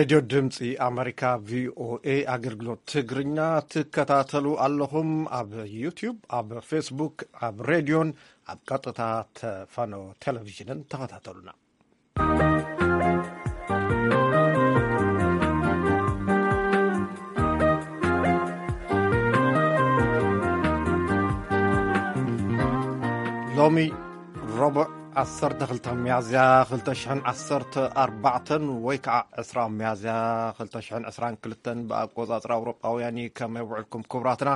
ሬድዮ ድምፂ ኣመሪካ፣ ቪኦኤ፣ ኣገልግሎት ትግርኛ ትከታተሉ ኣለኹም። ኣብ ዩቲዩብ፣ ኣብ ፌስቡክ፣ ኣብ ሬድዮን ኣብ ቀጥታ ተፋኖ ቴሌቪዥንን ተኸታተሉና። ሎሚ ረቡዕ ዓሰርተ ክልተ ሚያዝያ ክልተ ሽሕን ዓሰርተ ኣርባዕተን ወይ ከዓ ዕስራ ሚያዝያ ክልተ ሽሕን ዕስራን ክልተን ብኣቆጻጽራ ኣውሮጳውያን እዩ። ከመይ ውዕልኩም ክቡራትና?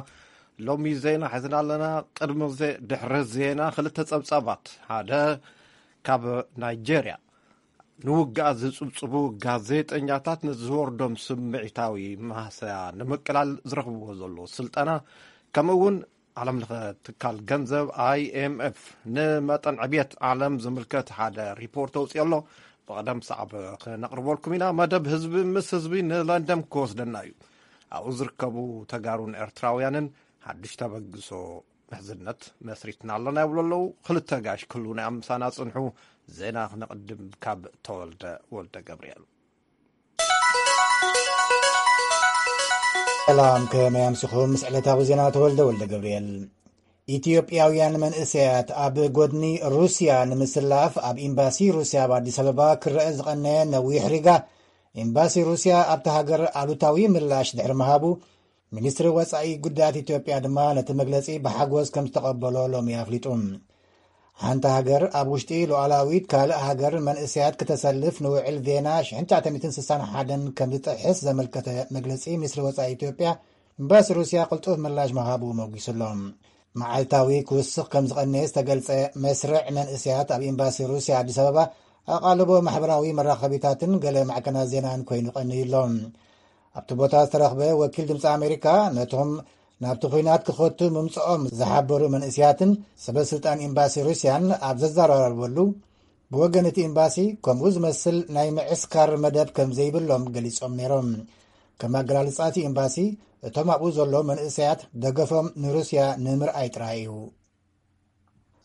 ሎሚ ዜና ሒዝና ኣለና። ቅድሚ ዜ-፣ ድሕሪ ዜና ክልተ ጸብጻባት። ሓደ ካብ ናይጄርያ ንውግኣት ዝጽብጽቡ ጋዜጠኛታት ንዝወርዶም ስምዒታዊ ማህሰያ ንምቅላል ዝረኽብዎ ዘለዉ ስልጠና፣ ከምኡ እውን ዓለም ለኸ ትካል ገንዘብ ኣይ ኤም ኤፍ ንመጠን ዕብየት ዓለም ዝምልከት ሓደ ሪፖርት ኣውፅኦ ኣሎ። ብቐደም ሰዓብ ክነቕርበልኩም ኢና። መደብ ህዝቢ ምስ ህዝቢ ንለንደን ክወስደና እዩ። ኣብኡ ዝርከቡ ተጋሩን ኤርትራውያንን ሓድሽ ተበግሶ ምሕዝነት መስሪትና ኣለና ይብሉ ኣለዉ። ክልተ ጋሽ ክህሉ ናይ ኣምሳና ጽንሑ። ዜና ክነቕድም ካብ ተወልደ ወልደ ገብርኤል። ሰላም፣ ከመይ ኣምሲኹም? ምስ ዕለታዊ ዜና ተወልደ ወልደ ገብርኤል። ኢትዮጵያውያን መንእሰያት ኣብ ጎድኒ ሩስያ ንምስላፍ ኣብ ኤምባሲ ሩስያ ኣብ ኣዲስ ኣበባ ክረአ ዝቐነየ ነዊሕ ሪጋ፣ ኤምባሲ ሩስያ ኣብታ ሃገር ኣሉታዊ ምላሽ ድሕሪ ምሃቡ፣ ሚኒስትሪ ወጻኢ ጉዳያት ኢትዮጵያ ድማ ነቲ መግለጺ ብሓጎስ ከም ዝተቐበሎ ሎሚ ኣፍሊጡ። ሓንቲ ሃገር ኣብ ውሽጢ ሉዓላዊት ካልእ ሃገር መንእሰያት ክተሰልፍ ንውዕል ቬና ሽሕን ትሽዓተ ሚእትን ስሳን ሓደን ከም ዝጥሕስ ዘመልከተ መግለጺ ሚኒስትሪ ወጻኢ ኢትዮጵያ፣ ኤምባሲ ሩስያ ቅልጡፍ ምላሽ ምሃቡ መጒሱ ኣሎ። መዓልታዊ ክውስኽ ከም ዝቐነየ ዝተገልጸ መስርዕ መንእሰያት ኣብ ኤምባሲ ሩስያ ኣዲስ ኣበባ፣ ኣቓልቦ ማሕበራዊ መራኸቢታትን ገለ ማዕከናት ዜናን ኮይኑ ቀንዩ ኣሎ። ኣብቲ ቦታ ዝተረኽበ ወኪል ድምፂ ኣሜሪካ ነቶም ናብቲ ኲናት ክኸቱ ምምፅኦም ዝሓበሩ መንእሰያትን ሰበ ስልጣን ኤምባሲ ሩስያን ኣብ ዘዘራረበሉ፣ ብወገን እቲ ኤምባሲ ከምኡ ዝመስል ናይ ምዕስካር መደብ ከም ዘይብሎም ገሊጾም ነይሮም። ከም ኣገላልጻ እቲ ኤምባሲ፣ እቶም ኣብኡ ዘሎ መንእሰያት ደገፎም ንሩስያ ንምርኣይ ጥራይ እዩ።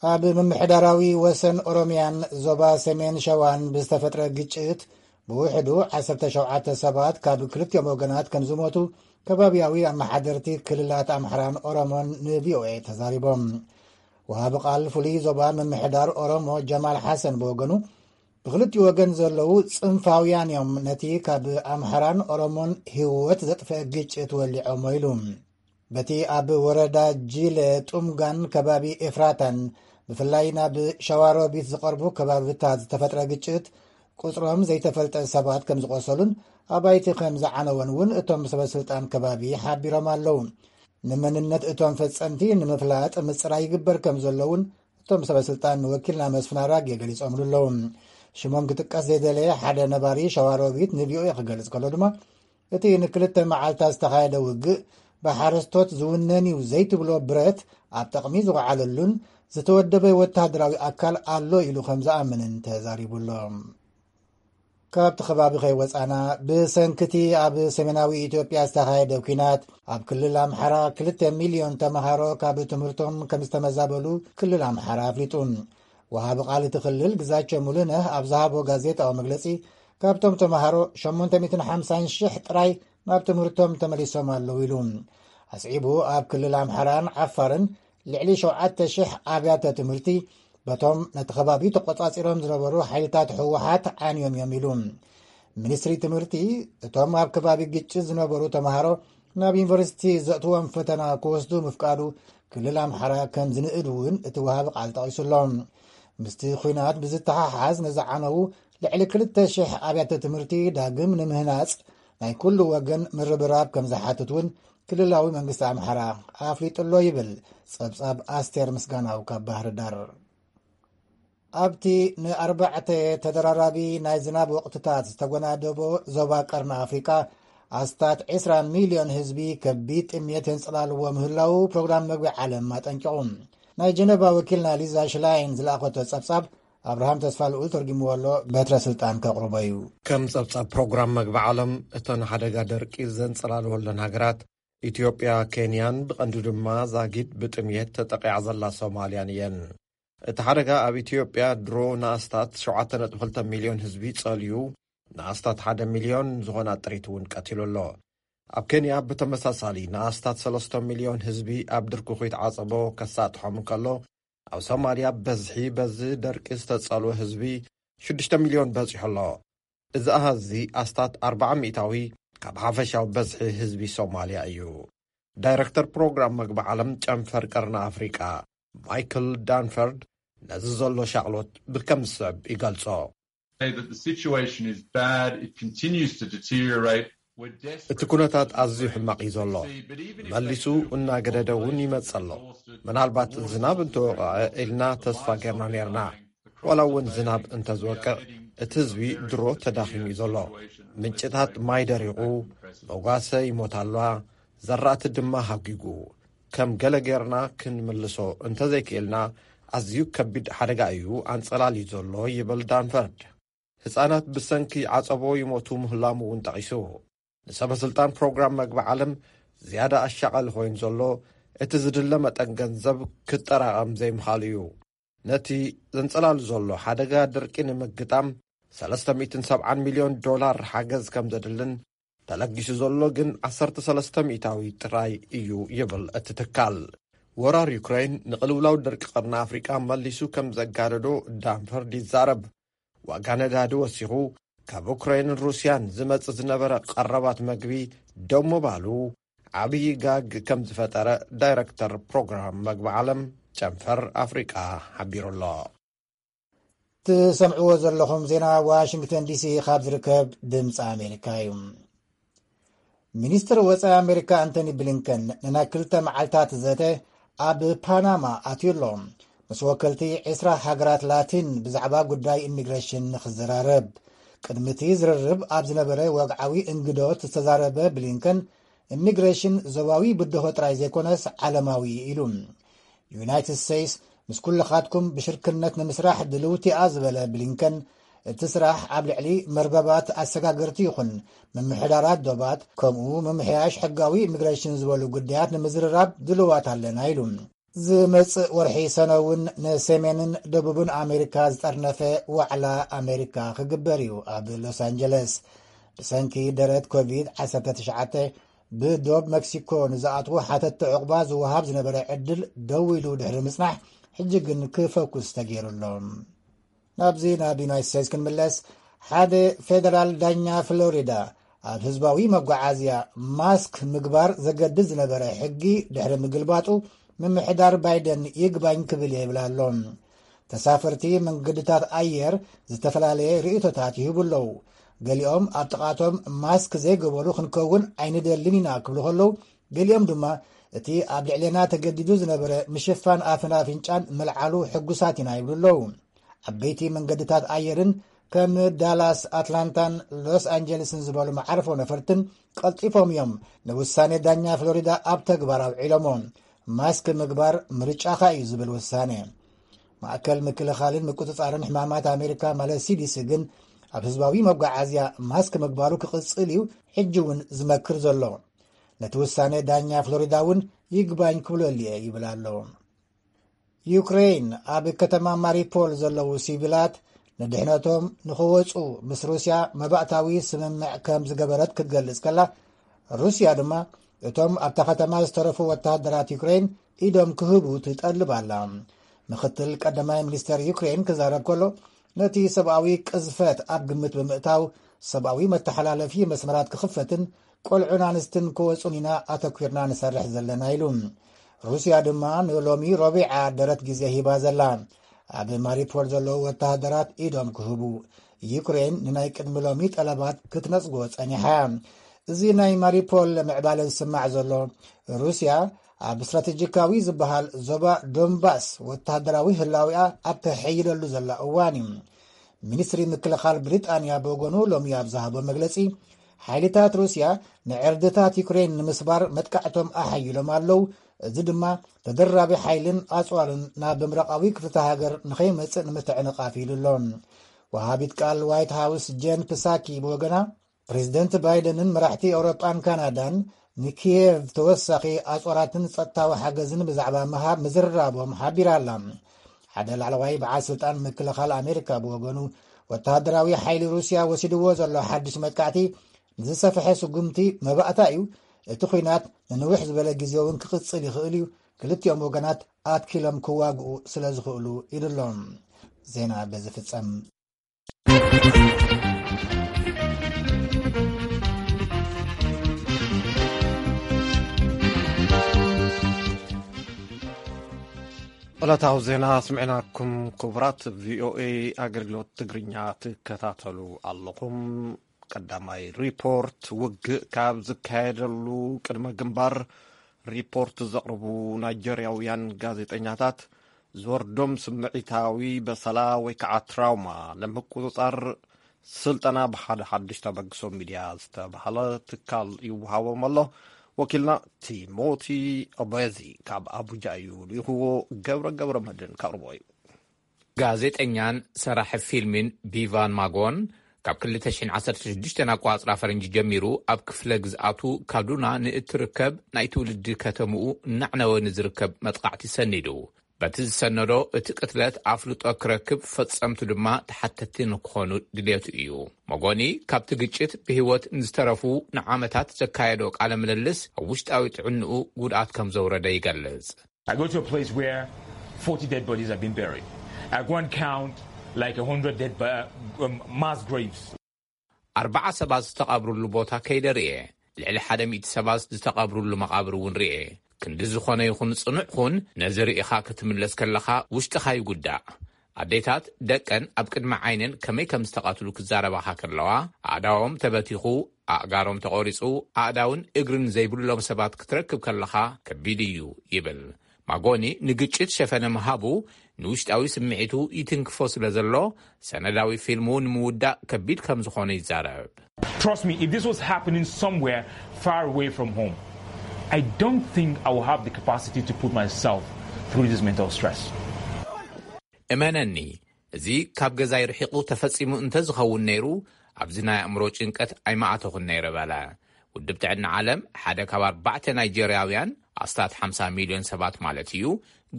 ኣብ ምምሕዳራዊ ወሰን ኦሮሚያን ዞባ ሰሜን ሸዋን ብዝተፈጥረ ግጭት ብውሕዱ ዓሰርተ ሸውዓተ ሰባት ካብ ክልቲኦም ወገናት ከም ዝሞቱ ከባቢያዊ ኣመሓደርቲ ክልላት ኣምሓራን ኦሮሞን ንቪኦኤ ተዛሪቦም። ወሃቢ ቃል ፍሉይ ዞባ ምምሕዳር ኦሮሞ ጀማል ሓሰን ብወገኑ፣ ብክልቲኡ ወገን ዘለዉ ጽንፋውያን እዮም ነቲ ካብ ኣምሓራን ኦሮሞን ህይወት ዘጥፍአ ግጭት ወሊዖሞ ኢሉ። በቲ ኣብ ወረዳ ጂለ ጡምጋን ከባቢ ኤፍራታን ብፍላይ ናብ ሸዋሮቢት ዝቐርቡ ከባብታት ዝተፈጥረ ግጭት ቁጽሮም ዘይተፈልጠ ሰባት ከም ዝቖሰሉን ኣባይቲ ከም ዝዓነወን እውን እቶም ሰበ ስልጣን ከባቢ ሓቢሮም ኣለዉ። ንመንነት እቶም ፈጸምቲ ንምፍላጥ ምጽራይ ይግበር ከም ዘሎ እውን እቶም ሰበ ስልጣን ንወኪልና መስፍን ኣራጌ ገሊጾምሉ ኣለዉ። ሽሞም ክጥቀስ ዘይደለየ ሓደ ነባሪ ሸዋሮቢት ንቪኦኤ ክገልጽ ከሎ ድማ፣ እቲ ንክልተ መዓልታት ዝተኻየደ ውግእ ብሓረስቶት ዝውነን እዩ ዘይትብሎ ብረት ኣብ ጠቕሚ ዝወዓለሉን ዝተወደበ ወተሃደራዊ ኣካል ኣሎ ኢሉ ከም ዝኣምንን ተዛሪቡ ኣሎ። ካብቲ ከባቢ ከይወጻና፣ ብሰንክቲ ኣብ ሰሜናዊ ኢትዮጵያ ዝተኻየደ ኲናት ኣብ ክልል ኣምሓራ ክልተ ሚልዮን ተምሃሮ ካብ ትምህርቶም ከም ዝተመዛበሉ ክልል ኣምሓራ ኣፍሊጡ። ወሃቢ ቃል እቲ ክልል ግዛቸው ሙሉነህ ኣብ ዝሃቦ ጋዜጣዊ መግለጺ፣ ካብቶም ተምሃሮ ሸሞንተ ሚእትን ሓምሳን ሽሕ ጥራይ ናብ ትምህርቶም ተመሊሶም ኣለዉ ኢሉ። ኣስዒቡ፣ ኣብ ክልል ኣምሓራን ዓፋርን ልዕሊ ሸውዓተ ሽሕ ኣብያተ ትምህርቲ በቶም ነቲ ከባቢ ተቆጻጺሮም ዝነበሩ ሓይልታት ህወሓት ዓንዮም እዮም ኢሉ። ሚኒስትሪ ትምህርቲ፣ እቶም ኣብ ከባቢ ግጭት ዝነበሩ ተምሃሮ ናብ ዩኒቨርሲቲ ዘእትዎም ፈተና ክወስዱ ምፍቃዱ ክልል ኣምሓራ ከም ዝንእድ እውን እቲ ወሃቢ ቃል ጠቒሱ ኣሎ። ምስቲ ኲናት ብዝተሓሓዝ ንዝዓነዉ ልዕሊ ክልተ ሽሕ ኣብያተ ትምህርቲ ዳግም ንምህናጽ ናይ ኩሉ ወገን ምርብራብ ከም ዝሓትት እውን ክልላዊ መንግስቲ ኣምሓራ ኣፍሊጡ ኣሎ ይብል ጸብጻብ ኣስቴር ምስጋናው ካብ ባህር ዳር። ኣብቲ ንኣርባዕተ ተደራራቢ ናይ ዝናብ ወቕትታት ዝተጎናደቦ ዞባ ቀርኒ ኣፍሪቃ፣ ኣስታት ዕስራ ሚልዮን ህዝቢ ከቢድ ጥምየት የንጸላልዎ ምህላዉ ፕሮግራም መግቢ ዓለም ኣጠንቂቑ። ናይ ጀነቫ ወኪልና ሊዛ ሽላይን ዝለኣኸቶ ጸብጻብ ኣብርሃም ተስፋ ልኡል ተርጊምዎ ኣሎ፣ በትረ ስልጣን ከቕርቦ እዩ። ከም ጸብጻብ ፕሮግራም መግቢ ዓለም፣ እተን ሓደጋ ደርቂ ዘንጸላልወለን ሃገራት ኢትዮጵያ፣ ኬንያን ብቐንዱ ድማ ዛጊድ ብጥምየት ተጠቂዓ ዘላ ሶማልያን እየን። እቲ ሓደጋ ኣብ ኢትዮጵያ ድሮ ንኣስታት ሸውዓተ ነጥቢ ክልተ ሚልዮን ህዝቢ ጸልዩ፣ ንኣስታት ሓደ ሚልዮን ዝኾና ጥሪት እውን ቀቲሉ ኣሎ። ኣብ ኬንያ ብተመሳሳሊ ንኣስታት ሰለስተ ሚልዮን ህዝቢ ኣብ ድርኩኺት ዓጸቦ ከሳጥሖም እንከሎ፣ ኣብ ሶማልያ በዝሒ በዚ ደርቂ ዝተጸልወ ህዝቢ ሽዱሽተ ሚልዮን በጺሑ ኣሎ። እዚ ኣሃዝ እዚ ኣስታት ኣርብዓ ሚእታዊ ካብ ሓፈሻዊ በዝሒ ህዝቢ ሶማልያ እዩ። ዳይረክተር ፕሮግራም መግቢ ዓለም ጨንፈር ቀርኒ ኣፍሪቃ ማይክል ዳንፈርድ ነዚ ዘሎ ሻቕሎት ብከም ዝስዕብ ይገልጾ። Say that the situation is bad, it continues to deteriorate. We're desperate እቲ ኩነታት ኣዝዩ ሕማቕ እዩ ዘሎ። መሊሱ እናገደደ እውን ይመጽእ ኣሎ። ምናልባት ዝናብ እንተወቕዐ ኢልና ተስፋ ጌርና ኔርና። ዋላ እውን ዝናብ እንተዝወቅዕ እቲ ህዝቢ ድሮ ተዳኺሙ እዩ ዘሎ። ምንጭታት ማይ ደሪቑ፣ መጓሰ ይሞት ኣለዋ። ዘራእቲ ድማ ሃጒጉ። ከም ገለ ጌርና ክንምልሶ እንተዘይክእልና ኣዝዩ ከቢድ ሓደጋ እዩ ኣንጸላልዩ ዘሎ ይብል ዳንፈርድ። ህጻናት ብሰንኪ ዓጸቦ ይሞቱ ምህላሙ እውን ጠቒሱ። ንሰበ ስልጣን ፕሮግራም መግቢ ዓለም ዝያዳ ኣሻቓሊ ኮይኑ ዘሎ እቲ ዝድለ መጠን ገንዘብ ክጠራቐም ዘይምኻሉ እዩ። ነቲ ዘንጸላሉ ዘሎ ሓደጋ ድርቂ ንምግጣም ሰለስተ ሚእትን ሰብዓን ሚልዮን ዶላር ሓገዝ ከም ዘድልን ተለጊሱ ዘሎ ግን ዓሰርተ ሰለስተ ሚእታዊ ጥራይ እዩ ይብል እቲ ትካል። ወራር ዩክሬን ንቕልውላው ድርቂ ቀርኒ ኣፍሪቃ መሊሱ ከም ዘጋደዶ ዳንፈርድ ይዛረብ። ዋጋ ነዳዲ ወሲኹ፣ ካብ ዩክሬንን ሩስያን ዝመጽእ ዝነበረ ቀረባት መግቢ ደው ምባሉ ዓብዪ ጋግ ከም ዝፈጠረ ዳይረክተር ፕሮግራም መግቢ ዓለም ጨንፈር ኣፍሪቃ ሓቢሩ ኣሎ። ትሰምዕዎ ዘለኹም ዜና ዋሽንግተን ዲሲ ካብ ዝርከብ ድምፂ ኣሜሪካ እዩ። ሚኒስትር ወፃኢ ኣሜሪካ ኣንቶኒ ብሊንከን ንናይ ክልተ መዓልታት ዘተ ኣብ ፓናማ ኣትዩ ኣሎ። ምስ ወከልቲ ዕስራ ሃገራት ላቲን ብዛዕባ ጉዳይ ኢሚግሬሽን ንክዘራረብ፣ ቅድሚ እቲ ዝርርብ ኣብ ዝነበረ ወግዓዊ እንግዶት ዝተዛረበ ብሊንከን፣ ኢሚግሬሽን ዞባዊ ብድሆ ጥራይ ዘይኮነስ ዓለማዊ ኢሉ። ዩናይትድ ስቴትስ ምስ ኩልኻትኩም ብሽርክነት ንምስራሕ ድልውቲ እያ ዝበለ ብሊንከን፣ እቲ ስራሕ ኣብ ልዕሊ መርበባት ኣሰጋገርቲ ይኹን ምምሕዳራት ዶባት፣ ከምኡ ምምሕያሽ ሕጋዊ ኢሚግሬሽን ዝበሉ ጉዳያት ንምዝርራብ ድልዋት ኣለና ኢሉ። ዝመጽእ ወርሒ ሰነ እውን ንሰሜንን ደቡብን ኣሜሪካ ዝጠርነፈ ዋዕላ ኣሜሪካ ክግበር እዩ ኣብ ሎስ ኣንጀለስ። ብሰንኪ ደረት ኮቪድ ዓሰርተ ትሽዓተ ብዶብ መክሲኮ ንዝኣትዉ ሓተትቲ ዕቑባ ዝወሃብ ዝነበረ ዕድል ደው ኢሉ ድሕሪ ምጽናሕ፣ ሕጂ ግን ክፈኩስ ተገይሩ ኣሎ። ናብዚ ናብ ዩናይትድ ስቴትስ ክንምለስ፣ ሓደ ፌደራል ዳኛ ፍሎሪዳ ኣብ ህዝባዊ መጓዓዝያ ማስክ ምግባር ዘገድድ ዝነበረ ሕጊ ድሕሪ ምግልባጡ፣ ምምሕዳር ባይደን ይግባኝ ክብል እየ ይብል ኣሎ። ተሳፈርቲ መንገድታት ኣየር ዝተፈላለየ ርእይቶታት ይህቡ ኣለዉ። ገሊኦም ኣብ ጥቓቶም ማስክ ዘይገበሩ ክንከውን ኣይንደልን ኢና ክብሉ ከለዉ፣ ገሊኦም ድማ እቲ ኣብ ልዕሌና ተገዲዱ ዝነበረ ምሽፋን ኣፍን ኣፍንጫን ምልዓሉ ሕጉሳት ኢና ይብሉ ኣለዉ። ዓበይቲ መንገድታት ኣየርን ከም ዳላስ፣ ኣትላንታን ሎስ ኣንጀለስን ዝበሉ መዓርፎ ነፈርትን ቀልጢፎም እዮም ንውሳኔ ዳኛ ፍሎሪዳ ኣብ ተግባር ኣውዒሎሞ። ማስክ ምግባር ምርጫኻ እዩ ዝብል ውሳኔ። ማእከል ምክልኻልን ምቁጽጻርን ሕማማት ኣሜሪካ ማለት ሲዲሲ ግን ኣብ ህዝባዊ መጓዓዝያ ማስክ ምግባሩ ክቕጽል እዩ ሕጂ እውን ዝመክር ዘሎ። ነቲ ውሳኔ ዳኛ ፍሎሪዳ እውን ይግባኝ ክብለሉ እየ ይብል ኣሎ። ዩክሬን ኣብ ከተማ ማሪፖል ዘለዉ ሲቪላት ንድሕነቶም ንኽወጹ ምስ ሩስያ መባእታዊ ስምምዕ ከም ዝገበረት ክትገልጽ ከላ፣ ሩስያ ድማ እቶም ኣብታ ከተማ ዝተረፉ ወተሃደራት ዩክሬን ኢዶም ክህቡ ትጠልብ ኣላ። ምኽትል ቀዳማይ ሚኒስተር ዩክሬን ክዛረብ ከሎ፣ ነቲ ሰብኣዊ ቅዝፈት ኣብ ግምት ብምእታው ሰብኣዊ መተሓላለፊ መስመራት ክኽፈትን ቆልዑን ኣንስትን ክወጹን ኢና ኣተኲርና ንሰርሕ ዘለና ኢሉ። ሩስያ ድማ ንሎሚ ረቡዕ ደረት ግዜ ሂባ ዘላ። ኣብ ማሪፖል ዘለዉ ወተሃደራት ኢዶም ክህቡ፣ ዩክሬን ንናይ ቅድሚ ሎሚ ጠለባት ክትነጽጎ ጸኒሓ። እዚ ናይ ማሪፖል ምዕባለ ዝስማዕ ዘሎ፣ ሩስያ ኣብ ስትራተጂካዊ ዝበሃል ዞባ ዶንባስ ወተሃደራዊ ህላዊኣ ኣብ ተሐይለሉ ዘላ እዋን እዩ። ሚኒስትሪ ምክልኻል ብሪጣንያ ብወገኑ ሎሚ ኣብ ዝሃቦ መግለጺ፣ ሓይልታት ሩስያ ንዕርድታት ዩክሬን ንምስባር መጥቃዕቶም ኣሓይሎም ኣለዉ። እዚ ድማ ተደራቢ ሓይልን ኣጽዋርን ናብ ምብራቓዊ ክፍልተ ሃገር ንኸይመጽእ ንምትዕንቓፍ ኢሉ ኣሎ። ወሃቢት ቃል ዋይት ሃውስ ጄን ፕሳኪ ብወገና፣ ፕሬዚደንት ባይደንን መራሕቲ ኤውሮጳን ካናዳን ንኪየቭ ተወሳኺ ኣጽዋራትን ጸጥታዊ ሓገዝን ብዛዕባ ምሃብ ምዝርራቦም ሓቢራ ኣላ። ሓደ ላዕለዋይ በዓል ስልጣን ምክልኻል ኣሜሪካ ብወገኑ፣ ወተሃደራዊ ሓይሊ ሩስያ ወሲድዎ ዘሎ ሓድሽ መጥቃዕቲ ንዝሰፍሐ ስጉምቲ መባእታ እዩ። እቲ ኲናት ንንውሕ ዝበለ ግዜ እውን ክቕጽል ይኽእል እዩ። ክልቲኦም ወገናት ኣትኪሎም ክዋግኡ ስለ ዝኽእሉ፣ ኢሉ ኣሎ። ዜና በዚ ፍጸም። ዕለታዊ ዜና ስምዕናኩም። ክቡራት ቪኦኤ ኣገልግሎት ትግርኛ ትከታተሉ ኣለኹም። ቀዳማይ ሪፖርት፣ ውግእ ካብ ዝካየደሉ ቅድመ ግንባር ሪፖርት ዘቕርቡ ናይጀርያውያን ጋዜጠኛታት ዝወርዶም ስምዒታዊ በሰላ ወይ ከዓ ትራውማ ንምቁፅፃር ስልጠና ብሓደ ሓድሽ ተበግሶ ሚድያ ዝተባሃለ ትካል ይወሃቦም ኣሎ። ወኪልና ቲሞቲ ኦቤዚ ካብ ኣቡጃ እዩ ልኢኽዎ። ገብረ ገብረ መድን ከቕርቦ እዩ። ጋዜጠኛን ሰራሒ ፊልምን ቢቫን ማጎን ካብ ክልተ ሽሕን ዓሰርተ ሽዱሽተን ኣቋጽራ ፈረንጂ ጀሚሩ ኣብ ክፍለ ግዝኣቱ ካዱና ንእትርከብ ናይ ትውልዲ ከተምኡ እናዕነወ ንዝርከብ መጥቓዕቲ ሰኒዱ። በቲ ዝሰነዶ እቲ ቅትለት ኣፍልጦ ክረክብ፣ ፈጸምቱ ድማ ተሓተቲ ንክኾኑ ድልየቱ እዩ። መጎኒ ካብቲ ግጭት ብህይወት ንዝተረፉ ንዓመታት ዘካየዶ ቃለ ምልልስ ኣብ ውሽጣዊ ጥዕንኡ ጉድኣት ከም ዘውረደ ይገልጽ። I go to a place where forty dead bodies have been buried. At one count, like a hundred dead ba- um, mass graves. ኣርባዓ ሰባት ዝተቐብሩሉ ቦታ ከይደ ርኤ። ልዕሊ ሓደ ሚእቲ ሰባት ዝተቐብሩሉ መቓብር እውን ርኤ። ክንዲ ዝኾነ ይኹን ጽኑዕ ኹን፣ ነዚ ርኢኻ ክትምለስ ከለኻ ውሽጥኻ ይጉዳእ። ኣዴታት ደቀን ኣብ ቅድሚ ዓይነን ከመይ ከም ዝተቐትሉ ክዛረባኻ ከለዋ፣ ኣእዳዎም ተበቲኹ፣ ኣእጋሮም ተቖሪጹ፣ ኣእዳውን እግርን ዘይብሎም ሰባት ክትረክብ ከለኻ ከቢድ እዩ ይብል። ማጎኒ ንግጭት ሸፈነ ምሃቡ ንውሽጣዊ ስምዒቱ ይትንክፎ ስለ ዘሎ፣ ሰነዳዊ ፊልሙ ንምውዳእ ከቢድ ከም ዝኾነ ይዛረብ። Trust me, if this was happening somewhere far away from home, I don't think I will have the capacity to put myself through this mental stress. እመነኒ፣ እዚ ካብ ገዛይ ርሒቑ ተፈጺሙ እንተ ዝኸውን ነይሩ፣ ኣብዚ ናይ ኣእምሮ ጭንቀት ኣይመኣተኹን ነይረ በለ። ውድብ ጥዕና ዓለም፣ ሓደ ካብ ኣርባዕተ ናይጀርያውያን፣ ኣስታት ሓምሳ ሚልዮን ሰባት ማለት እዩ፣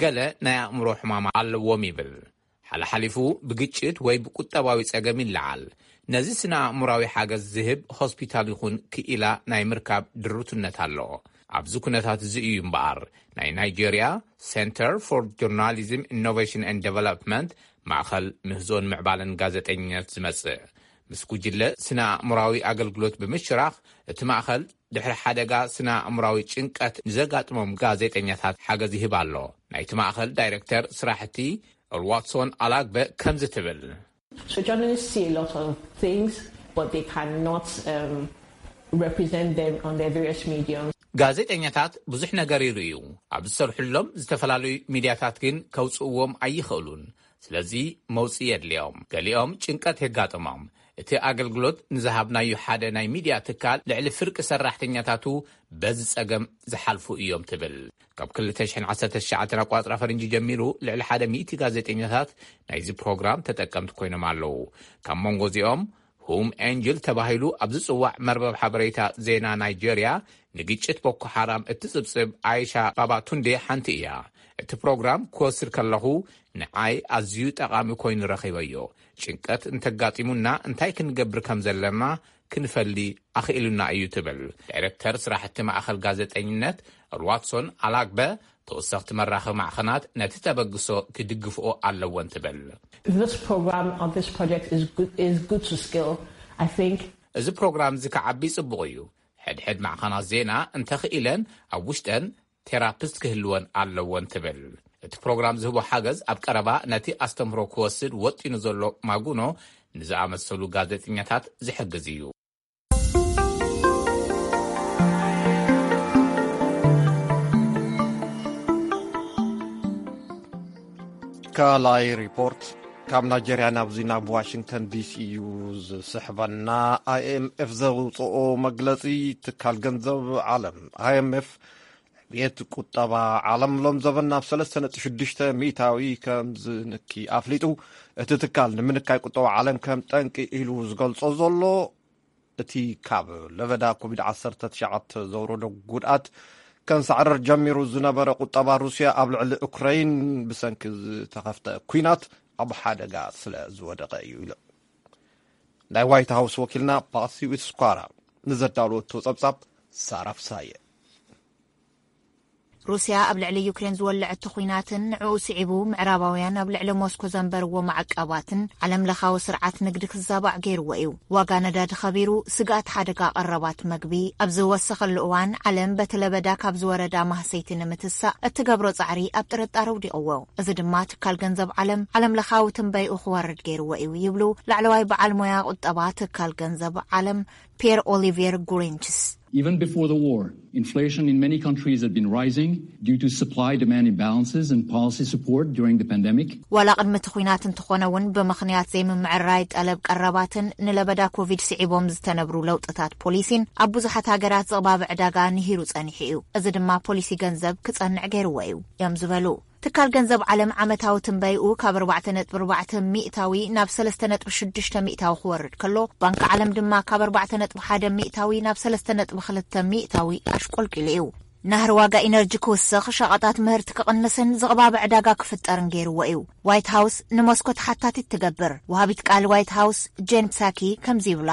ገለ ናይ ኣእምሮ ሕማም ኣለዎም ይብል። ሓላሓሊፉ ብግጭት ወይ ብቁጠባዊ ጸገም ይለዓል። ነዚ ስነ ኣእምራዊ ሓገዝ ዝህብ ሆስፒታል ይኹን ክኢላ ናይ ምርካብ ድሩትነት ኣሎ። ኣብዚ ኩነታት እዚ እዩ እምበኣር ናይ ናይጀርያ Center for Journalism Innovation and Development፣ ማእኸል ምህዞን ምዕባለን ጋዜጠኝነት ዝመጽእ። ምስ ጉጅለ ስነ ኣእምራዊ ኣገልግሎት ብምሽራኽ፣ እቲ ማእኸል ድሕሪ ሓደጋ ስነ ኣእምራዊ ጭንቀት ንዘጋጥሞም ጋዜጠኛታት ሓገዝ ይህብ ኣሎ። ናይቲ ማእኸል ዳይሬክተር ስራሕቲ ኦልዋትሶን ኣላግበ ከምዚ ትብል። So journalists see a lot of things, but they cannot um, represent them on their various mediums. ጋዜጠኛታት ብዙሕ ነገር ይርእዩ፣ ኣብ ዝሰርሕሎም ዝተፈላለዩ ሚድያታት ግን ከውፅእዎም ኣይኽእሉን። ስለዚ መውፅኢ የድልዮም። ገሊኦም ጭንቀት የጋጥሞም። እቲ ኣገልግሎት ንዝሃብናዩ ሓደ ናይ ሚድያ ትካል ልዕሊ ፍርቂ ሰራሕተኛታቱ በዚ ጸገም ዝሓልፉ እዮም ትብል። ካብ ክልተ ሽሕን ዓሰርተ ትሽዓተን ኣቋጽራ ፈረንጂ ጀሚሩ ልዕሊ ሓደ ሚእቲ ጋዜጠኛታት ናይዚ ፕሮግራም ተጠቀምቲ ኮይኖም ኣለዉ። ካብ መንጎ እዚኦም ሁም ኤንጅል ተባሂሉ ኣብ ዝጽዋዕ መርበብ ሓበሬታ ዜና ናይጀርያ ንግጭት ቦኮ ሓራም እትጽብጽብ ኣይሻ ባባቱንዴ ሓንቲ እያ። እቲ ፕሮግራም ክወስድ ከለኹ ንዓይ ኣዝዩ ጠቓሚ ኮይኑ ረኺበዮ። ጭንቀት እንተጋጢሙና እንታይ ክንገብር ከም ዘለና ክንፈሊ ኣኽኢሉና እዩ ትብል። ዳይረክተር ስራሕቲ ማእኸል ጋዜጠኝነት ሩዋትሶን ኣላግበ፣ ተወሰኽቲ መራኸቢ ማዕኸናት ነቲ ተበግሶ ክድግፍኦ ኣለወን ትብል። This program or this project is good, is good to scale, I think. እዚ ፕሮግራም እዚ ክዓቢ ጽቡቕ እዩ። ሕድሕድ ማዕኸናት ዜና እንተኽኢለን ኣብ ውሽጠን ቴራፒስት ክህልወን ኣለወን ትብል። እቲ ፕሮግራም ዝህቦ ሓገዝ ኣብ ቀረባ ነቲ ኣስተምህሮ ክወስድ ወጢኑ ዘሎ ማጉኖ ንዝኣመሰሉ ጋዜጠኛታት ዝሕግዝ እዩ። ካልኣይ ሪፖርት ካብ ናይጀርያ ናብዚ ናብ ዋሽንግተን ዲሲ እዩ ዝስሕበና። ኣይኤምኤፍ ዘውፅኦ መግለፂ፣ ትካል ገንዘብ ዓለም ኣይኤምኤፍ ዕብየት ቁጠባ ዓለም ሎም ዘበን ናብ ሰለስተ ነጥቢ ሽዱሽተ ሚእታዊ ከም ዝንኪ ኣፍሊጡ። እቲ ትካል ንምንካይ ቁጠባ ዓለም ከም ጠንቂ ኢሉ ዝገልጾ ዘሎ እቲ ካብ ለበዳ ኮቪድ ዓሰርተ ትሽዓተ ዘውረዶ ጉድኣት ከንሳዕረር ጀሚሩ ዝነበረ ቁጠባ ሩስያ ኣብ ልዕሊ ኡክራይን ብሰንኪ ዝተኸፍተ ኲናት ኣብ ሓደጋ ስለ ዝወደቐ እዩ ኢሉ። ናይ ዋይት ሃውስ ወኪልና ፓሲ ዊትስኳራ ንዘዳለወቶ ጸብጻብ ሳራ ፍሳየ። ሩስያ ኣብ ልዕሊ ዩክሬን ዝወለዐቶ ኲናትን ንዕኡ ስዒቡ ምዕራባውያን ኣብ ልዕሊ ሞስኮ ዘንበርዎ ማዕቀባትን ዓለም ለኻዊ ስርዓት ንግዲ ክዛባዕ ገይርዎ እዩ። ዋጋ ነዳዲ ኸቢሩ፣ ስግኣት ሓደጋ ቀረባት መግቢ ኣብ ዝወሰኸሉ እዋን፣ ዓለም በቲ ለበዳ ካብ ዝወረዳ ማህሰይቲ ንምትሳእ እትገብሮ ጻዕሪ ኣብ ጥርጣረ ውዲቕዎ። እዚ ድማ ትካል ገንዘብ ዓለም ዓለም ለኻዊ ትንበይኡ ክወርድ ገይርዎ እዩ ይብሉ ላዕለዋይ በዓል ሞያ ቁጠባ ትካል ገንዘብ ዓለም ፒየር ኦሊቪየር ጉሪንችስ። Even before the war, inflation in many countries had been rising due to supply-demand imbalances and policy support during the pandemic. ዋላ ቅድሚ እቲ ኲናት እንተኾነ እውን፣ ብምኽንያት ዘይምምዕራይ ጠለብ ቀረባትን ንለበዳ ኮቪድ ስዒቦም ዝተነብሩ ለውጥታት ፖሊሲን፣ ኣብ ብዙሓት ሃገራት ዝቕባበ ዕዳጋ ንሂሩ ጸኒሑ እዩ። እዚ ድማ ፖሊሲ ገንዘብ ክጸንዕ ገይርዎ እዩ እዮም ዝበሉ። ትካል ገንዘብ ዓለም ዓመታዊ ትንበይኡ ካብ ኣርባዕተ ነጥቢ ኣርባዕተ ሚእታዊ ናብ ሰለስተ ነጥቢ ሽዱሽተ ሚእታዊ ክወርድ ከሎ፣ ባንክ ዓለም ድማ ካብ ኣርባዕተ ነጥቢ ሓደ ሚእታዊ ናብ ሰለስተ ነጥቢ ክልተ ሚእታዊ ኣሽቆልቂሉ እዩ። ናህሪ ዋጋ ኢነርጂ ክውስኽ፣ ሸቐጣት ምህርቲ ክቕንስን ዝቕባበ ዕዳጋ ክፍጠርን ገይርዎ እዩ። ዋይት ሃውስ ንሞስኮ ተሓታቲት ትገብር። ወሃቢት ቃል ዋይት ሃውስ ጄን ፕሳኪ ከምዚ ይብላ።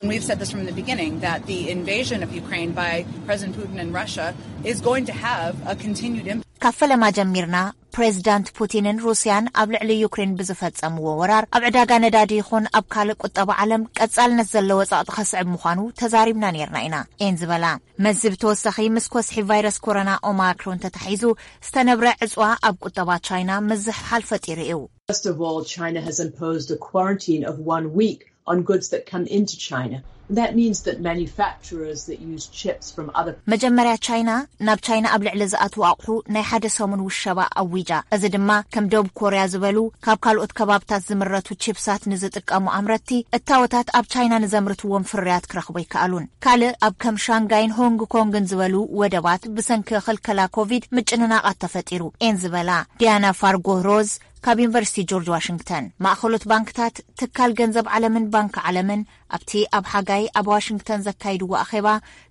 And we've said this from the beginning, that the invasion of Ukraine by President Putin and Russia is going to have a continued impact. ካብ ፈለማ ጀሚርና፣ ፕሬዚዳንት ፑቲንን ሩስያን ኣብ ልዕሊ ዩክሬን ብዝፈጸምዎ ወራር፣ ኣብ ዕዳጋ ነዳዲ ይኹን ኣብ ካልእ ቁጠባ ዓለም ቀጻልነት ዘለዎ ጸቕጢ ከስዕብ ምዃኑ ተዛሪብና ነይርና ኢና፣ እየን ዝበላ። መዚ ብተወሳኺ ምስ ኮስሒ ቫይረስ ኮሮና ኦማክሮን ተታሒዙ ዝተነብረ ዕጽዋ ኣብ ቁጠባ ቻይና ምዝሕሓል ፈጢሩ እዩ። First of all, China has imposed a quarantine of one week on goods that come into China. That means that manufacturers that use chips from other መጀመርያ ቻይና ናብ ቻይና ኣብ ልዕሊ ዝኣትዉ ኣቑሑ ናይ ሓደ ሰሙን ውሸባ ኣዊጃ። እዚ ድማ ከም ደቡብ ኮርያ ዝበሉ ካብ ካልኦት ከባብታት ዝምረቱ ቺፕሳት ንዝጥቀሙ ኣምረትቲ እታወታት ኣብ ቻይና ንዘምርትዎም ፍርያት ክረኽቡ ኣይከኣሉን። ካልእ ኣብ ከም ሻንጋይን ሆንግ ኮንግን ዝበሉ ወደባት ብሰንኪ ክልከላ ኮቪድ ምጭንናቓት ተፈጢሩ እየን ዝበላ ዲያና ፋርጎ ሮዝ ካብ ዩኒቨርሲቲ ጆርጅ ዋሽንግተን። ማእኸሎት ባንክታት፣ ትካል ገንዘብ ዓለምን ባንክ ዓለምን ኣብቲ ኣብ ሓጋይ ኣብ ዋሽንግተን ዘካይድዎ ኣኼባ፣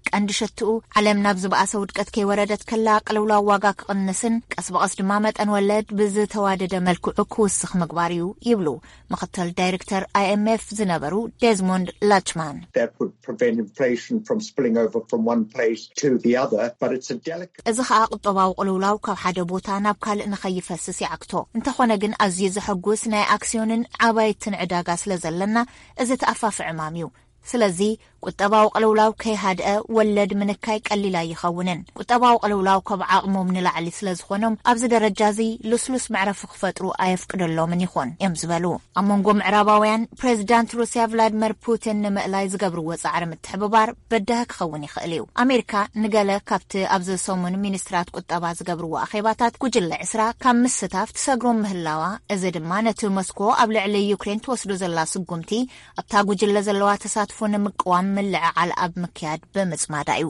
ቀንዲ ሸትኡ ዓለም ናብ ዝበኣሰ ውድቀት ከይወረደት ከላ ቅልውላው ዋጋ ክቕንስን ቀስ ብቐስ ድማ መጠን ወለድ ብዝተዋደደ መልክዑ ክውስኽ ምግባር እዩ ይብሉ ምኽትል ዳይሬክተር ኣይ ኤም ኤፍ ዝነበሩ ዴዝሞንድ ላችማን። That would prevent inflation from spilling over from one place to the other, but it's a delicate እዚ ኸኣ ቁጠባዊ ቅልውላው ካብ ሓደ ቦታ ናብ ካልእ ንኸይፈስስ ይዓግቶ። እንተኾነ ግን ኣዝዩ ዘሐጉስ ናይ ኣክስዮንን ዓባየትን ዕዳጋ ስለ ዘለና፣ እዚ ተኣፋፊ ዕማም እዩ። ስለዚ ቁጠባዊ ቅልውላው ከይሃድአ ወለድ ምንካይ ቀሊል ኣይኸውንን። ቁጠባዊ ቅልውላው ካብ ዓቕሞም ንላዕሊ ስለ ዝኾኖም፣ ኣብዚ ደረጃ እዚ ልስሉስ መዕረፊ ክፈጥሩ ኣየፍቅደሎምን ይኾን እዮም ዝበሉ። ኣብ መንጎ ምዕራባውያን፣ ፕሬዚዳንት ሩስያ ቭላድመር ፑቲን ንምእላይ ዝገብርዎ ጻዕሪ ምትሕብባር በዳሂ ክኸውን ይኽእል እዩ። ኣሜሪካ ንገለ ካብቲ ኣብዚ ሰሙን ሚኒስትራት ቁጠባ ዝገብርዎ ኣኼባታት ጉጅለ ዕስራ ካብ ምስታፍ ትሰግሮም ምህላዋ፣ እዚ ድማ ነቲ ሞስኮ ኣብ ልዕሊ ዩክሬን ትወስዶ ዘላ ስጉምቲ ኣብታ ጉጅለ ዘለዋ ተሳትፎ ንምቅዋም ምልዕዓል ኣብ ምክያድ ብምጽማዳ እዩ።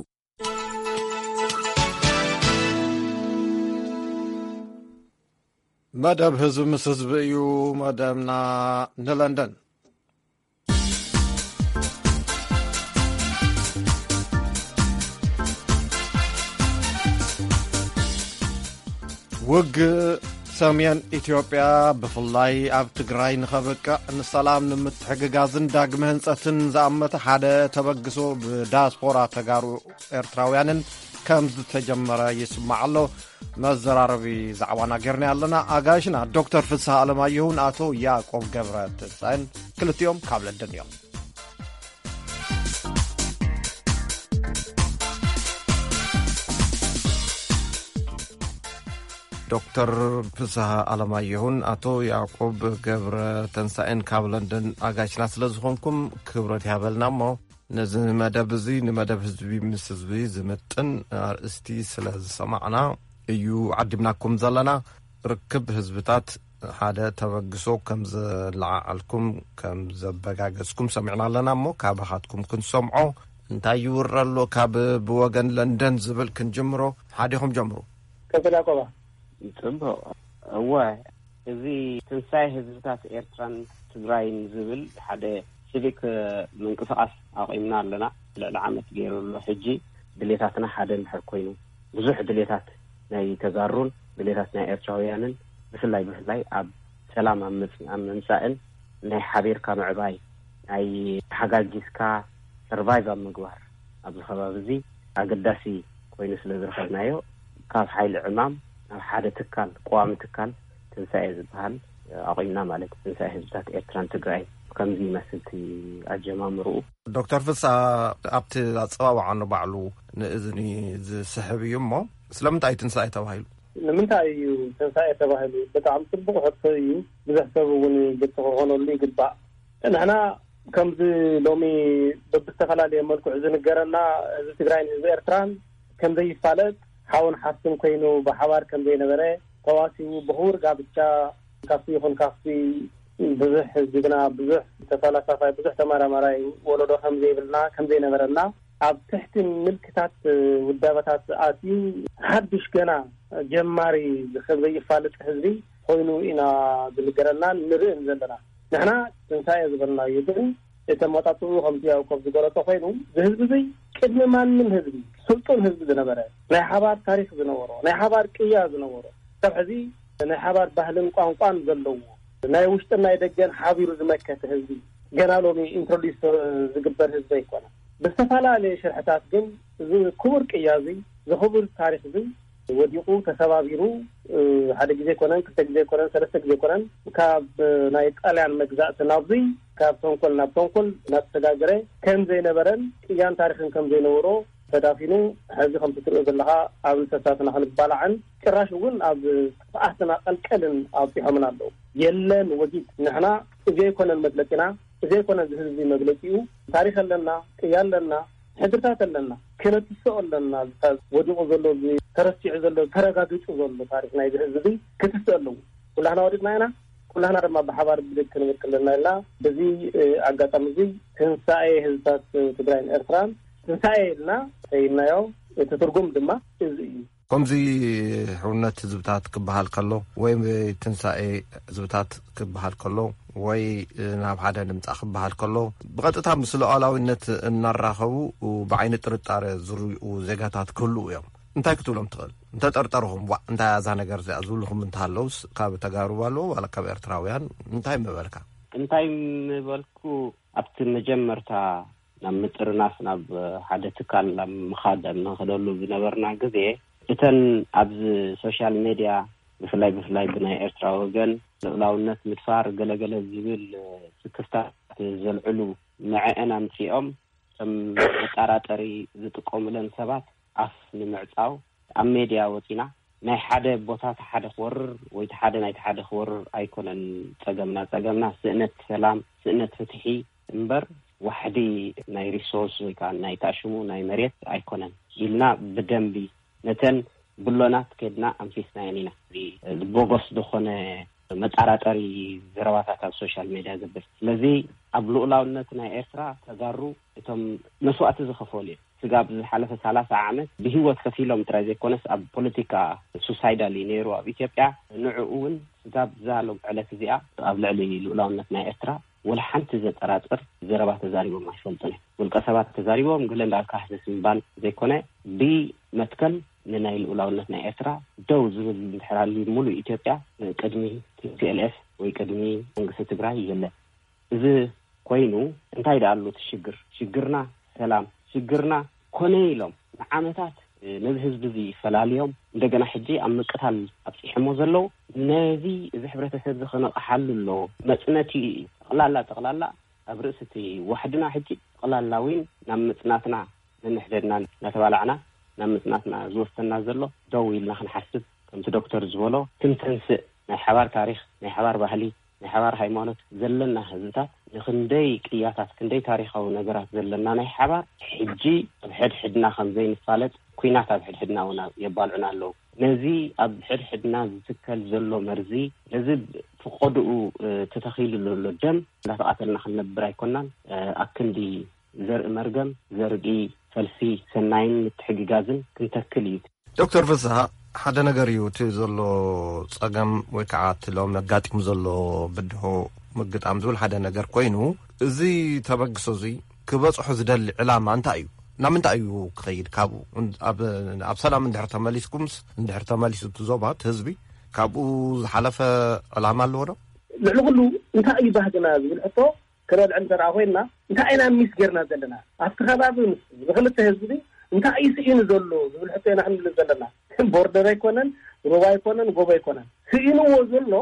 መደብ ህዝቢ ምስ ህዝቢ እዩ መደብና። ንለንደን። ውግእ ሰሜን ኢትዮጵያ ብፍላይ ኣብ ትግራይ ንኸብቅዕ ንሰላም ንምትሕግጋዝን ዳግመ ህንጸትን ዝኣመተ ሓደ ተበግሶ ብዳያስፖራ ተጋሩ ኤርትራውያንን ከም ዝተጀመረ ይስማዕ ኣሎ። መዘራረቢ ዛዕባና ጌርና ኣለና። ኣጋይሽና ዶክተር ፍስሐ ኣለማየሁን ኣቶ ያዕቆብ ገብረ ትንሳኤን ክልቲኦም ካብ ለንደን እዮም። ዶክተር ፍስሐ ኣለማየሁን ኣቶ ያዕቆብ ገብረ ተንሳኤን ካብ ለንደን ኣጋይሽና ስለ ዝኾንኩም ክብረት ይሃበልና። እሞ ነዚ መደብ እዚ ንመደብ ህዝቢ ምስ ህዝቢ ዝምጥን ኣርእስቲ ስለ ዝሰማዕና እዩ ዓዲምናኩም ዘለና። ርክብ ህዝብታት ሓደ ተበግሶ ከም ዘለዓዓልኩም፣ ከም ዘበጋገዝኩም ሰሚዕና ኣለና። እሞ ካባኻትኩም ክንሰምዖ፣ እንታይ ይውረ ኣሎ ካብ ብወገን ለንደን ዝብል ክንጅምሮ። ሓዲኹም ጀምሩ። ቀጽል ያቆባ። ጽቡቕ። እወ፣ እዚ ትንሳኤ ህዝብታት ኤርትራን ትግራይን ዝብል ሓደ ሲቪክ ምንቅስቓስ ኣቑምና ኣለና። ልዕሊ ዓመት ገይሩ ኣሎ። ሕጂ ድሌታትና ሓደ እንድሕር ኮይኑ፣ ብዙሕ ድሌታት ናይ ተጋሩን ድሌታት ናይ ኤርትራውያንን፣ ብፍላይ ብፍላይ ኣብ ሰላም ኣብ ምጽ-፣ ኣብ ምምጻእን ናይ ሓቢርካ ምዕባይ ናይ ተሓጋጊዝካ ሰርቫይቭ ኣብ ምግባር ኣብዚ ከባቢ እዚ ኣገዳሲ ኮይኑ ስለ ዝረኸብናዮ፣ ካብ ሓይሊ ዕማም ናብ ሓደ ትካል፣ ቀዋሚ ትካል ትንሳኤ ዝበሃል ኣቑምና ማለት እዩ። ትንሳኤ ህዝብታት ኤርትራን ትግራይን ከምዚ ይመስል እቲ ኣጀማምርኡ። ዶክተር ፍስሃ፣ ኣብቲ ኣጸዋውዓ ንባዕሉ ንእዝኒ ዝስሕብ እዩ እሞ፣ ስለምንታይ ትንሳኤ ተባሂሉ? ንምንታይ እዩ ትንሳኤ ተባሂሉ? ብጣዕሚ ጽቡቕ ሕቶ እዩ። ብዙሕ ሰብ እውን ግልጺ ክኾነሉ ይግባእ። ንሕና ከምዚ ሎሚ በብዝተፈላለየ መልክዑ ዝንገረና፣ ህዝቢ ትግራይን ህዝቢ ኤርትራን ከም ዘይፋለጥ፣ ሓውን ሓፍትን ኮይኑ ብሓባር ከም ዘይነበረ፣ ተዋሲቡ ብኽቡር ጋብቻ ካብቲ ይኹን ካብቲ ብዙሕ ጅግና፣ ብዙሕ ተፈላሳፋይ፣ ብዙሕ ተመራማራይ ወለዶ ከም ዘይብልና፣ ከም ዘይነበረና፣ ኣብ ትሕቲ ምልክታት ውዳበታት ኣትዩ ሓድሽ ገና ጀማሪ ከም ዘይፋለጥ ህዝቢ ኮይኑ ኢና ዝንገረናን ንርእን ዘለና። ንሕና ትንሳኤ ዝበልናዮ ግን እቲ ኣመጣጥኡ ከምቲ ያዕቆብ ዝገለጾ ኮይኑ፣ እዚ ህዝቢ እዚ ቅድሚ ማንም ህዝቢ፣ ስልጡን ህዝቢ ዝነበረ፣ ናይ ሓባር ታሪኽ ዝነበሮ፣ ናይ ሓባር ቅያ ዝነበሮ፣ ካብ ሕዚ ናይ ሓባር ባህልን ቋንቋን ዘለዎ፣ ናይ ውሽጥን ናይ ደገን ሓቢሩ ዝመከተ ህዝቢ፣ ገና ሎሚ ኢንትሮዲስ ዝግበር ህዝቢ ኣይኮነ። ብዝተፈላለየ ሽርሕታት ግን እዚ ክቡር ቅያ እዚ፣ እዚ ክቡር ታሪኽ እዚ ወዲቑ፣ ተሰባቢሩ፣ ሓደ ግዜ ኮነን፣ ክልተ ግዜ ኮነን፣ ሰለስተ ግዜ ኮነን፣ ካብ ናይ ጣልያን መግዛእቲ ናብዚ፣ ካብ ተንኮል ናብ ተንኮል እናተሰጋገረ ከም ዘይነበረን ቅያን ታሪኽን ከም ዘይነበሮ ተዳፊኑ፣ ሕዚ ከምቲ ትሪኦ ዘለኻ ኣብ እንሰሳትና ክንባላዕን ጭራሽ እውን ኣብ ጥፍኣትና ቀልቀልን ኣብፂሖምና ኣለዉ። የለን ወጊድ፣ ንሕና እዚ ኣይኮነን መግለፂና፣ እዚ ኣይኮነን እዚ ህዝቢ መግለፂኡ። ታሪኽ ኣለና፣ ቅያ ኣለና፣ ሕድርታት ኣለና፣ ክነትስኦ ኣለና። እዚ ወዲቑ ዘሎ፣ እዚ ተረሲዑ ዘሎ፣ ተረጋጊጹ ዘሎ ታሪኽ ናይዚ ህዝቢ እዚ ክትስእ ኣለዎ። ኩላህና ወዲቕና ኢና፣ ኩላህና ድማ ብሓባር ብድግ ክንብል ኣለና ኢልና በዚ ኣጋጣሚ እዚ ትንሳኤ ህዝብታት ትግራይን ኤርትራን ትንሳኤ ኢልና ሰይምናዮ። እቲ ትርጉም ድማ እዚ እዩ። ከምዚ ሕውነት ህዝብታት ክበሃል ከሎ ወይ ትንሳኤ ህዝብታት ክበሃል ከሎ ወይ ናብ ሓደ ንምጻእ ክበሃል ከሎ ብቐጥታ ምስ ሉዓላዊነት እናራኸቡ ብዓይኒ ጥርጣረ ዝርእዩ ዜጋታት ክህልዉ እዮም። እንታይ ክትብሎም ትኽእል? እንተጠርጠርኹም፣ "ዋእ፣ እንታይ እያ እዛ ነገር እዚኣ?" ዝብልኹም እንተሃለውስ፣ ካብ ተጋሩ ኣለዉ ዋላ ካብ ኤርትራውያን እንታይ ምበልካ? እንታይ ምበልኩ? ኣብቲ መጀመርታ ናብ ምጥርናፍ ናብ ሓደ ትካል ኣብ ምኻድ ኣብ ንኸደሉ ዝነበርና ግዜ፣ እተን ኣብዚ ሶሻል ሜድያ ብፍላይ ብፍላይ ብናይ ኤርትራ ወገን ልኡላውነት ምድፋር ገለገለ ዝብል ስክፍታት ዘልዕሉ ንዐአን ኣምጺኦም ከም መጠራጠሪ ዝጥቀሙለን ሰባት ኣፍ ንምዕጻው ኣብ ሜድያ ወጺና ናይ ሓደ ቦታ እቲ ሓደ ክወርር ወይ እቲ ሓደ ናይቲ ሓደ ክወርር ኣይኮነን ጸገምና። ጸገምና ስእነት ሰላም፣ ስእነት ፍትሒ እምበር ዋሕዲ ናይ ሪሶርስ ወይ ከዓ ናይ ታሽሙ ናይ መሬት ኣይኮነን ኢልና ብደንቢ ነተን ብሎናት ከድና ኣንፊስናየን ኢና። እዚ ቦጎስ ዝኾነ መጠራጠሪ ዘረባታት ኣብ ሶሻል ሜድያ ዘብል። ስለዚ ኣብ ልኡላውነት ናይ ኤርትራ ተጋሩ እቶም መስዋእቲ ዝኸፈሉ እዮም። ስጋብ ዝሓለፈ ሰላሳ ዓመት ብህይወት ከፊሎም ጥራይ ዘይኮነስ ኣብ ፖለቲካ ሱሳይዳል እዩ ነይሩ ኣብ ኢትዮጵያ። ንዕኡ እውን ስጋብ እዛ ሎም ዕለት እዚኣ ኣብ ልዕሊ ልኡላውነት ናይ ኤርትራ ወላ ሓንቲ ዘጠራጥር ዘረባ ተዛሪቦም ኣይፈልጡን እዮም። ውልቀ ሰባት ተዛሪቦም ገለ እንዳልካ ሕስስ ምባል ዘይኮነ ብመትከል ንናይ ልኡላውነት ናይ ኤርትራ ደው ዝብል እንድሕር ሃልዩ ሙሉእ ኢትዮጵያ ቅድሚ ቲ ፒ ኤል ኤፍ ወይ ቅድሚ መንግስቲ ትግራይ የለን። እዚ ኮይኑ እንታይ ደኣ ኣሎ እቲ ሽግር? ሽግርና ሰላም፣ ሽግርና ኮነ ኢሎም ንዓመታት ነዚ ህዝቢ እዚ ፈላልዮም እንደገና ሕጂ ኣብ ምቅታል ኣብፂሖሞ ዘለዉ። ነዚ እዚ ሕብረተሰብ እዚ ከነቕሓሉ ኣለዎ። መፅነቲ ጠቕላላ ጠቕላላ ኣብ ርእሲ እቲ ዋሕድና ሕጂ ጠቕላላ እውን ናብ ምፅናትና ነንሕደድና እናተባላዕና ናብ ምፅናትና ዝወሰና ዘሎ ደው ኢልና ክንሓስብ ከምቲ ዶክተር ዝበሎ ክንተንስእ ናይ ሓባር ታሪኽ ናይ ሓባር ባህሊ ናይ ሓባር ሃይማኖት ዘለና ህዝብታት ንክንደይ ቅያታት ክንደይ ታሪኻዊ ነገራት ዘለና ናይ ሓባር ሕጂ ኣብ ሕድሕድና ከም ዘይንፋለጥ ኩናት ኣብ ሕድሕድና እውን የባልዑና ኣለዉ። ነዚ ኣብ ሕድሕድና ዝትከል ዘሎ መርዚ ነዚ ፍቆድኡ ተተኺሉ ዘሎ ደም እንዳተቓተልና ክንነብር ኣይኮናን። ኣክንዲ ዘርኢ መርገም ዘርኢ ፈልሲ ሰናይን ምትሕግጋዝን ክንተክል እዩ። ዶክተር ፍስሃ፣ ሓደ ነገር እዩ እቲ ዘሎ ጸገም ወይ ከዓ እቲ ሎም ኣጋጢሙ ዘሎ ብድሆ ምግጣም ዝብል ሓደ ነገር ኮይኑ፣ እዚ ተበግሶ እዚ ክበጽሖ ዝደሊ ዕላማ እንታይ እዩ? ናብ ምንታይ እዩ ክኸይድ? ካብኡ ኣብ ሰላም እንድሕር ተመሊስኩምስ እንድሕር ተመሊሱ እቲ ዞባ እቲ ህዝቢ ካብኡ ዝሓለፈ ዕላማ ኣለዎ ዶ? ልዕሊ ኩሉ እንታይ እዩ ባህግና ዝብል ሕቶ ክነልዕል እንተ ደኣ ኮይንና፣ እንታይ ኢና ሚስ ጌርና ዘለና? ኣብቲ ከባቢ ምስ፣ ንኽልተ ህዝቢ እንታይ እዩ ስኢኑ ዘሎ ዝብል ሕቶ ኢና ክንብል ዘለና። ቦርደር ኣይኮነን፣ ሩባ ኣይኮነን፣ ጎቦ ኣይኮነን። ስኢንዎ ዘሎ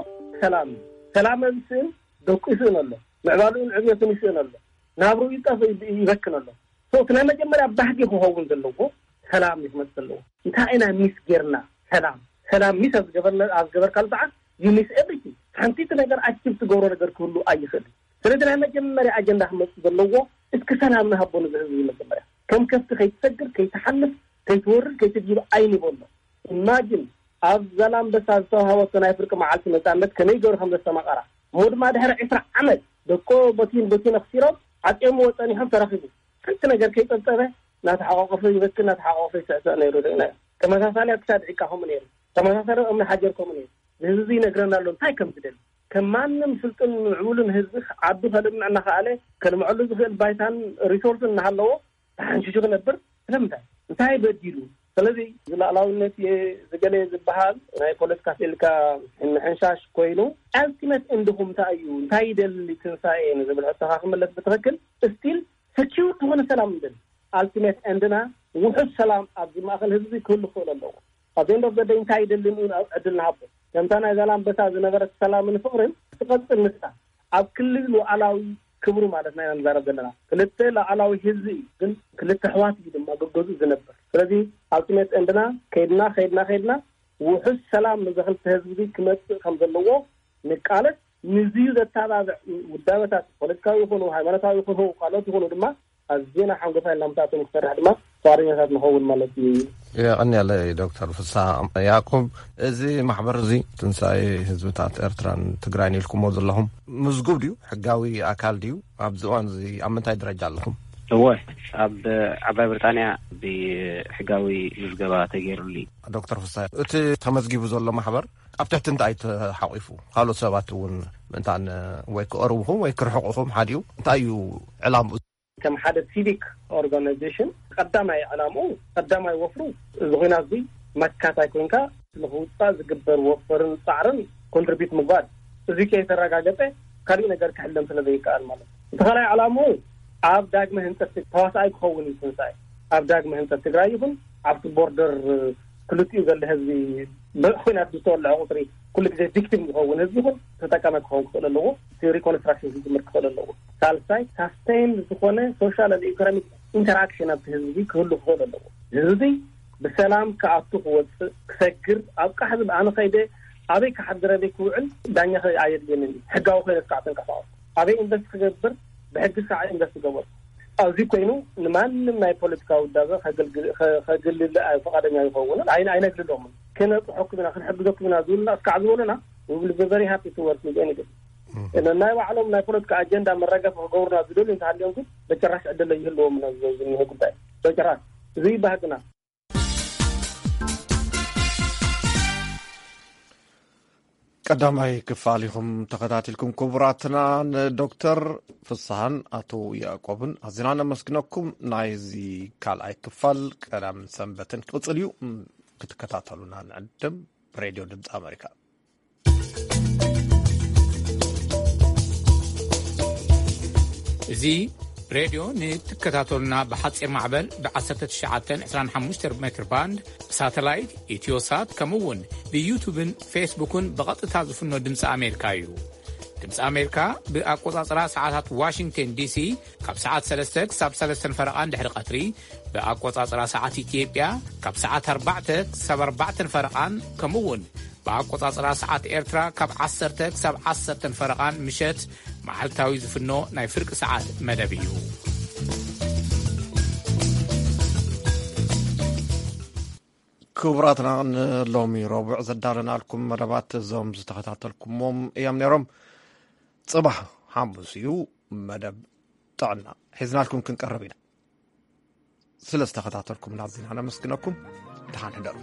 ሰላም እዩ። ሰላም ኣብ ስእን ደቁ ይስእን ኣሎ። ምዕባሉን ዕብየቱን ይስእን ኣሎ። ናብርኡ ይጠፍ-፣ ይበክን ኣሎ። So፣ እቲ ናይ መጀመርያ ባህጊ ክኸውን ዘለዎ ሰላም እዩ ክመጽእ ዘለዎ። እንታይ ኢና ሚስ ጌርና? ሰላም፣ ሰላም ሚስ ኣብ ዝገበርና፣ ኣብ ዝገበርካሉ ሰዓት፣ you miss everything። ሓንቲ ነገር ኣክቲቭ ትገብሮ ነገር ክህሉ ኣይኽእል። ስለዚ ናይ መጀመርያ ኣጀንዳ ክመጽእ ዘለዎ፣ እስኪ ሰላም ንሃቦ ነዚ ህዝቢ መጀመርያ። ከም ከፍቲ ከይትሰግር፣ ከይትሓልፍ፣ ከይትወርድ፣ ከይትድይብ ኣይንበሎ። ኢማጂን፣ ኣብ ዛላምበሳ ዝተዋሃበቶ ናይ ፍርቂ መዓልቲ ነጻነት ከመይ ገይሩ ከም ዘስተማቐራ፣ እሞ ድማ ድሕሪ ዕስራ ዓመት ደቆ በቲን በቲን ኣኽሲሮም ዓጽዮምዎ ጸኒሖም ተረኺቡ። ሓንቲ ነገር ከይጸብጸበ እናተሓቋቐፈ ይበኪ፣ እናተሓቋቐፈ ይስዕስዕ ነይሩ ርኢናዮ። ተመሳሳሊ ኣብ ክሳድ ዒቃ ከምኡ ነይሩ። ተመሳሳሊ ኣብ እምኒ ሓጀር ከምኡ ነይሩ። ንህዝቢ ይነግረና ኣሎ እንታይ ከም ዝደሊ። ከም ማንም ስልጡን ምዕቡልን ህዝቢ ዓዱ ከልምዕ እናኸኣለ፣ ከልምዐሉ ዝኽእል ባይታን ሪሶርስን እናሃለዎ ተሓንሺሹ ክነብር ስለምንታይ? እንታይ በዲሉ? ስለዚ ዝላዕላውነት እየ ዝገለ ዝበሃል ናይ ፖለቲካ ስኢልካ ምሕንሻሽ ኮይኑ፣ ኣልቲመት ኤንድኹም እንታይ እዩ? እንታይ ይደሊ ትንሳኤ ንዝብል ሕቶኻ ክምለስ ብትኽክል፣ ስቲል ሰኪውር ዝኾነ ሰላም ንደሊ። ኣልቲሜት ኤንድና ውሑስ ሰላም ኣብዚ ማእከል ህዝቢ ክህሉ ክኽእል ኣለዎ። ኣብ ኤንድ ኦፍ ዘ ደይ እንታይ ይደሊ ንኡ ዕድል ንሃቦ። ከምታ ናይ ዛላምበሳ ዝነበረት ሰላምን ፍቕርን ትቐጽል ንሳ ኣብ ክልል ሉዓላዊ ክብሩ ማለት ኢና ንዛረብ ዘለና። ክልተ ሉዓላዊ ህዝቢ እዩ፣ ግን ክልተ ኣሕዋት እዩ ድማ ገገዝኡ ዝነብር። ስለዚ ኣልቲሜት ኤንድና ከይድና ከይድና ከይድና ውሑስ ሰላም ነዚ ክልተ ህዝቢ ክመጽእ ከም ዘለዎ ንቃለስ። ንዝዩ ዘተባብዕ ውዳበታት ፖለቲካዊ ይኹኑ ሃይማኖታዊ ይኹኑ ካልኦት ይኹኑ ድማ ኣዝና ሓንጎፋይ ኢልና ምስኣቶም ክሰርሕ ድማ ፍቓደኛታት ንኸውን ማለት እዩ። የቐንየለይ ዶክተር ፍስሓ ያዕቆብ። እዚ ማሕበር እዚ ትንሳኤ ህዝብታት ኤርትራን ትግራይን ኢልኩሞ ዘለኹም ምዝጉብ ድዩ? ሕጋዊ ኣካል ድዩ? ኣብዚ እዋን እዚ ኣብ ምንታይ ደረጃ ኣለኹም? እወ፣ ኣብ ዓባይ ብሪጣንያ ብሕጋዊ ምዝገባ ተገይሩሉ እዩ። ዶክተር ፍስሓ፣ እቲ ተመዝጊቡ ዘሎ ማሕበር ኣብ ትሕቲ እንታይ ተሓቂፉ? ካልኦት ሰባት እውን ምእንታን ወይ ክቐርብኹም ወይ ክርሕቁኹም ሓዲኡ እንታይ እዩ ዕላምኡ? ከም ሓደ ሲቪክ ኦርጋናይዜሽን ቀዳማይ ዕላምኡ፣ ቀዳማይ ወፍሩ እዚ ኲናት እዚ መካታይ ኮንካ ንኽውፃእ ዝግበር ወፈርን ፃዕርን ኮንትሪቢዩት ምግባር፣ እዚ ከይተረጋገፀ ካሊእ ነገር ክሕለም ስለ ዘይከኣል ማለት እዩ። እቲ ካልኣይ ዕላምኡ ኣብ ዳግመ ህንፀት ተዋሳኣይ ክኸውን እዩ ትንሳኤ። ኣብ ዳግመ ህንፀት ትግራይ ይኹን ኣብቲ ቦርደር ክልቲኡ ዘሎ ህዝቢ ብኩናት ዝተወለዐ ቁፅሪ ኩሉ ግዜ ቪክቲም ዝኸውን ህዝቢ ይኹን ተጠቃሚ ክኸውን ክኽእል ኣለዎ። እቲ ሪኮንስትራክሽን ክጅምር ክኽእል ኣለዎ። ሳልሳይ ሳስቴን ዝኾነ ሶሻል ኢኮኖሚክ ኢንተራክሽን ኣብቲ ህዝቢ ክህሉ ክኽእል ኣለዎ። ህዝቢ ብሰላም ክኣቱ ክወፅእ ክሰግር ኣብ ቃሕ ዝብል ኣነ ከይደ ኣበይ ክሓድር ኣበይ ክውዕል ዳኛ ከ-፣ ኣየድልየንን እዩ። ሕጋዊ ኮይነ እስካዕ ተንቀሳቐስ ኣበይ ኢንቨስት ክገብር ብሕጊ እስካዕ ኢንቨስት ክገብር ኣብዚ ኮይኑ ንማንም ናይ ፖለቲካ ውዳበ ከገልግል፣ ከ-፣ ከግልል ኣይ-፣ ፈቓደኛ ይኸውን ኣይ-፣ ኣይነግልሎምን። ክነፅሐኩም ኢና ክንሕግዘኩም ኢና ዝብሉና እስካዕ ዝበሉና we will be very happy to work with anybody። ናይ ባዕሎም ናይ ፖለቲካ ኣጀንዳ መረገፊ ክገብሩና ዝደልዩ እንተሃልዮም ግን በጭራሽ ዕድል ይህልዎም ዝኒሀ ጉዳይ በጭራሽ እዚ ባህግና። ቀዳማይ ክፋል ኢኹም ተኸታቲልኩም ክቡራትና። ንዶክተር ፍስሃን ኣቶ ያዕቆብን ኣዝና ነመስግነኩም። ናይዚ ካልኣይ ክፋል ቀዳምን ሰንበትን ክቕጽል እዩ። ክትከታተሉና ንዕድም። ሬድዮ ድምፂ ኣሜሪካ። እዚ ሬድዮ ንትከታተሉና ብሓፂር ማዕበል ብ1999 ሜትር ባንድ ብሳተላይት ኢትዮሳት ከምኡ እውን ብዩቱብን ፌስቡክን ብቐጥታ ዝፍኖ ድምፂ ኣሜሪካ እዩ። ድምፂ ኣሜሪካ ብኣቆፃፅራ ሰዓታት ዋሽንግተን ዲሲ ካብ ሰዓት ሰለስተ ክሳብ ሰለስተ ፈረቓን ድሕሪ ቀትሪ ብኣቆፃፅራ ሰዓት ኢትዮጵያ ካብ ሰዓት ኣርባዕተ ክሳብ ኣርባዕተ ፈረቓን ከምኡ እውን ብኣቆጻጽራ ሰዓት ኤርትራ ካብ ዓሰርተ ክሳብ ዓሰርተ ፈረቓን ምሸት መዓልታዊ ዝፍኖ ናይ ፍርቂ ሰዓት መደብ እዩ። ክቡራትና፣ ንሎሚ ረቡዕ ዘዳለናልኩም መደባት እዞም ዝተኸታተልኩሞም እዮም ነይሮም። ጽባሕ ሓሙስ እዩ፣ መደብ ጥዕና ሒዝናልኩም ክንቀርብ ኢና። ስለ ዝተኸታተልኩም ናዚና ነመስግነኩም። ደሓን ሕደሩ።